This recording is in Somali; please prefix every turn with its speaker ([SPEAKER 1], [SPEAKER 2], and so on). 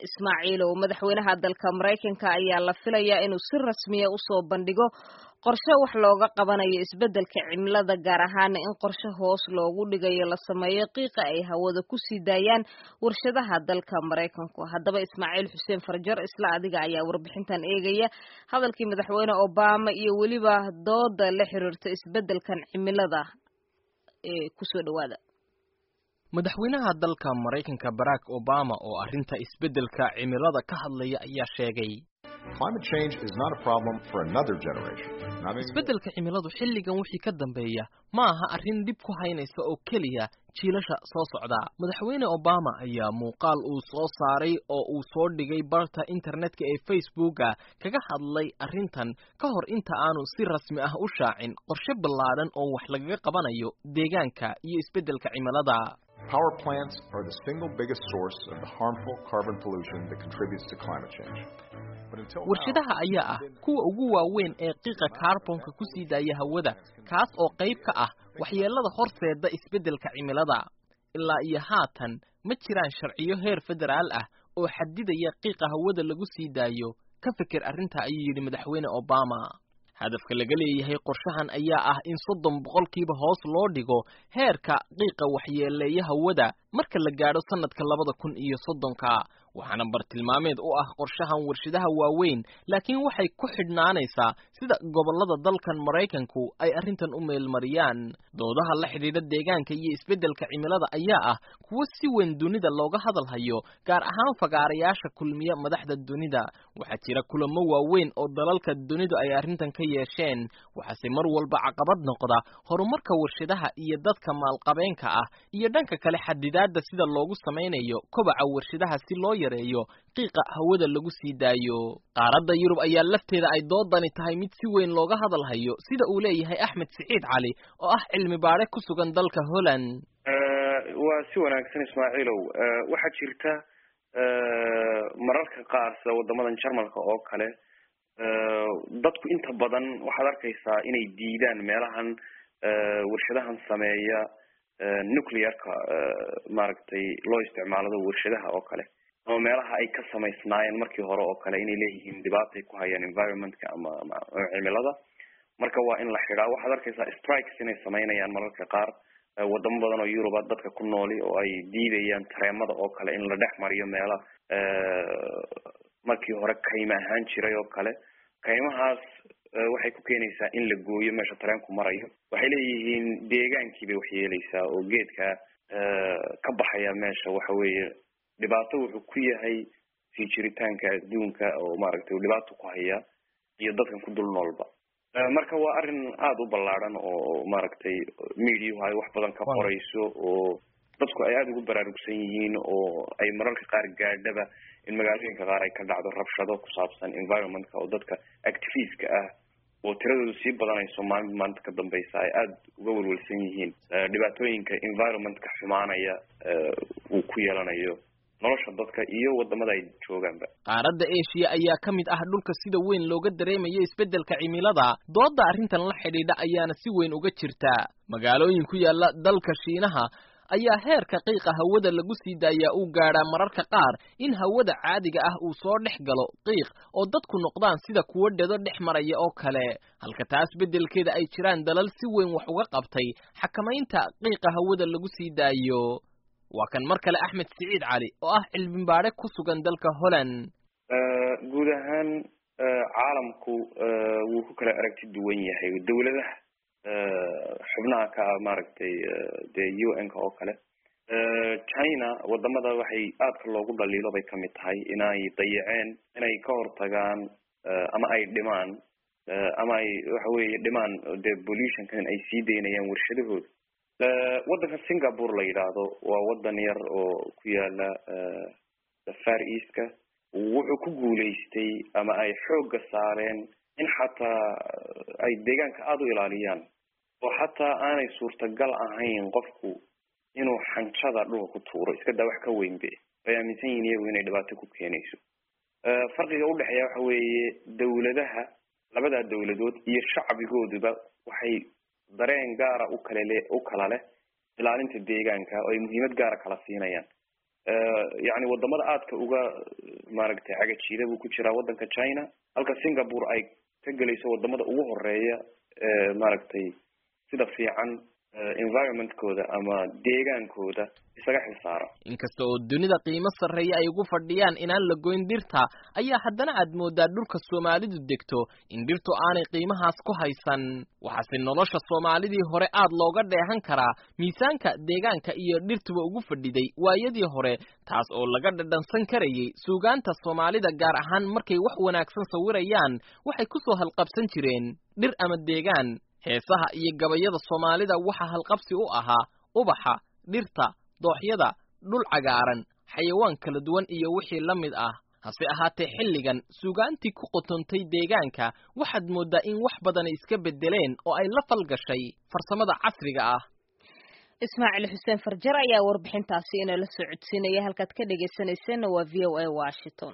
[SPEAKER 1] Ismaaciilow, madaxweynaha dalka Maraykanka ayaa la filayaa inuu si rasmiya usoo bandhigo qorshe wax looga qabanayo isbeddelka cimilada, gaar ahaana in qorshe hoos loogu dhigayo la sameeyo qiiqa ay hawada ku sii daayaan warshadaha dalka Maraykanku. Haddaba, Ismaaciil Xuseen Farjar, isla adiga ayaa warbixintan eegaya hadalkii madaxweyne Obama iyo weliba dooda la xiriirta isbeddelkan cimilada ee kusoo dhawaada.
[SPEAKER 2] Madaxweynaha dalka Maraykanka Barack Obama oo arrinta isbeddelka cimilada ka hadlaya ayaa sheegay: "Isbeddelka cimiladu xilligan wixii ka dambeeya ma aha arrin dhib ku haynaysa oo keliya jiilasha soo socda." Madaxweyne Obama ayaa muuqaal uu soo saaray oo uu soo dhigay barta internetka ee Facebooka kaga hadlay arrintan ka hor inta aanu si rasmi ah u shaacin qorshe ballaadhan oo wax lagaga qabanayo deegaanka iyo isbeddelka cimilada.
[SPEAKER 3] Power plants are the single biggest source of the harmful carbon pollution that contributes to climate change.
[SPEAKER 2] "Warshadaha ayaa ah kuwa ugu waaweyn ee qiiqa kaarbonka ku sii daaya hawada, kaas oo qayb ka ah waxyeelada horseeda isbeddelka cimilada. Ilaa iyo haatan ma jiraan sharciyo heer federaal ah oo xadidaya qiiqa hawada lagu sii daayo. Ka fikir arrinta," ayuu yidhi madaxweyne Obama. Hadafka laga leeyahay qorshahan ayaa ah in 30% hoos loo dhigo heerka qiiqa waxyeeleeya hawada marka la gaadho sanadka 2030-ka. Waxaana bartilmaameed u ah qorshahan warshadaha waaweyn, laakiin waxay ku xidhnaanaysaa sida gobollada dalkan Maraykanku ay arrintan u meelmariyaan. Doodaha la xidhiidha deegaanka iyo isbeddelka cimilada ayaa ah kuwo si weyn dunida looga hadal hayo, gaar ahaan fagaarayaasha kulmiya madaxda dunida. Waxaa jira kulamo waaweyn oo dalalka dunidu ay arrintan ka yeesheen, waxaase mar walba caqabad noqda horumarka warshadaha iyo dadka maalqabeenka ah, iyo dhanka kale xadidaadda sida loogu samaynayo kobaca warshadaha si loo yareeyo qiiqa hawada lagu sii daayo. Qaaradda Yurub ayaa lafteeda ay doodani tahay mid si weyn looga hadal hayo, sida uu leeyahay Axmed Siciid Cali oo ah cilmi baadhe ku sugan dalka Holland.
[SPEAKER 4] Waa si wanaagsan, Ismaaciilow. Waxaa jirta mararka qaar, sida wadamadan Jarmalka oo kale, dadku inta badan waxaad arkaysaa inay diidaan meelahan warshadahan sameeya nuclearka, maaragtay, loo isticmaalado warshadaha oo kale, ama meelaha ay ka samaysnaayeen markii hore oo kale, inay leeyihiin dhibaatay ku hayaan environmentka ama cimilada, marka waa in la xidhaa. Waxaad arkaysaa strikes inay samaynayaan mararka qaar wadamo badan oo Yuruba dadka ku nooli, oo ay diidayaan tareemada oo kale in la dhex mariyo meela markii hore kayma ahaan jiray oo kale. Kaymahaas waxay ku keenaysaa in la gooyo meesha tareenku marayo. Waxay leeyihiin deegaankii bay waxyeeleysaa, oo geedka ka baxaya meesha waxa weeye dhibaato wuxuu ku yahay sii jiritaanka adduunka, oo maaragtay uu dhibaato ku haya iyo dadkan ku dul noolba. Marka waa arrin aada u ballaadhan oo maaragtay mediahu ay wax badan ka qorayso, oo dadku ay aada ugu baraarugsan yihiin, oo ay mararka qaar gaadhaba in magaalooyinka qaar ay ka dhacdo rabshado ku saabsan environmentka, oo dadka activistka ah oo tiradoodu sii badanayso maalin maalinta ka dambeysa ay aada uga welwelsan yihiin dhibaatooyinka environmentka xumaanaya uu ku yeelanayo nolosha dadka iyo wadamada ay joogaanba.
[SPEAKER 2] Qaaradda Eshiya ayaa ka mid ah dhulka sida weyn looga dareemayo isbeddelka cimilada. Doodda arrintan la xidhiidha ayaana si weyn uga jirta. Magaalooyin ku yaala dalka Shiinaha ayaa heerka qiiqa hawada lagu sii daayaa uu gaadhaa mararka qaar in hawada caadiga ah uu soo dhex galo qiiq, oo dadku noqdaan sida kuwo dhedo dhex maraya oo kale, halka taas beddelkeeda ay jiraan dalal si weyn wax uga qabtay xakamaynta qiiqa hawada lagu sii daayo. Waa kan mar kale Axmed Siciid Cali oo ah cilmibaadhe ku sugan dalka Holland.
[SPEAKER 4] Guud ahaan caalamku wuu ku kala aragti duwan yahay. Dawladaha xubnaha ka ah, maaragtay, dee UN-ka oo kale, China wadamada waxay aadka loogu dhaliilo bay kamid tahay inay dayaceen inay ka hortagaan ama ay dhimaan ama ay waxa weeye dhimaan dee pollutionkan ay sii daynayaan warshadahooda. Waddanka Singapore la yidhaahdo waa wadan yar oo ku yaala Far Eastka. Wuxuu ku guulaystay ama ay xoogga saareen in xataa ay deegaanka aada u ilaaliyaan, oo xataa aanay suurtagal ahayn qofku inuu xanjada dhulka ku tuuro, iska daa wax ka weynbe. Ay aaminsan yihiin iyagu inay dhibaato ku keenayso. Farqiga udhexeeya waxa weeye dawladaha, labadaa dawladood iyo shacbigooduba waxay dareen gaara ukale le u kala leh ilaalinta deegaanka, oo ay muhiimad gaara kala siinayaan. Yani wadamada aadka uga maaragtay cagajiida buu ku jiraa waddanka China, halka Singapore ay ka gelayso wadamada ugu horeeya ee maaragtay sida fiican environmentkooda ama deegaankooda isaga xilsaara.
[SPEAKER 2] Inkasta oo dunida qiimo sarreeya ay ugu fadhiyaan inaan la goyn dhirta, ayaa haddana aad mooddaa dhulka Soomaalidu degto in dhirtu aanay qiimahaas ku haysan. Waxaase nolosha Soomaalidii hore aad looga dheehan karaa miisaanka deegaanka iyo dhirtuba ugu fadhiday waayadii hore, taas oo laga dhadhansan karayay suugaanta Soomaalida, gaar ahaan markay wax wanaagsan sawirayaan waxay ku soo halqabsan jireen dhir ama deegaan. Heesaha iyo gabayada Soomaalida waxaa halqabsi u ahaa ubaxa, dhirta, dooxyada, dhul cagaaran, xayawaan kala duwan iyo wixii la mid ah. Hase ahaatee xilligan suugaantii ku qotontay deegaanka waxaad mooddaa in wax badani iska beddeleen oo ay la falgashay farsamada casriga ah.
[SPEAKER 1] Ismaaciil Xuseen Farjar ayaa warbixintaasi inala soo codsiinaya. Halkaad ka dhegaysanayseena waa VOA Washington.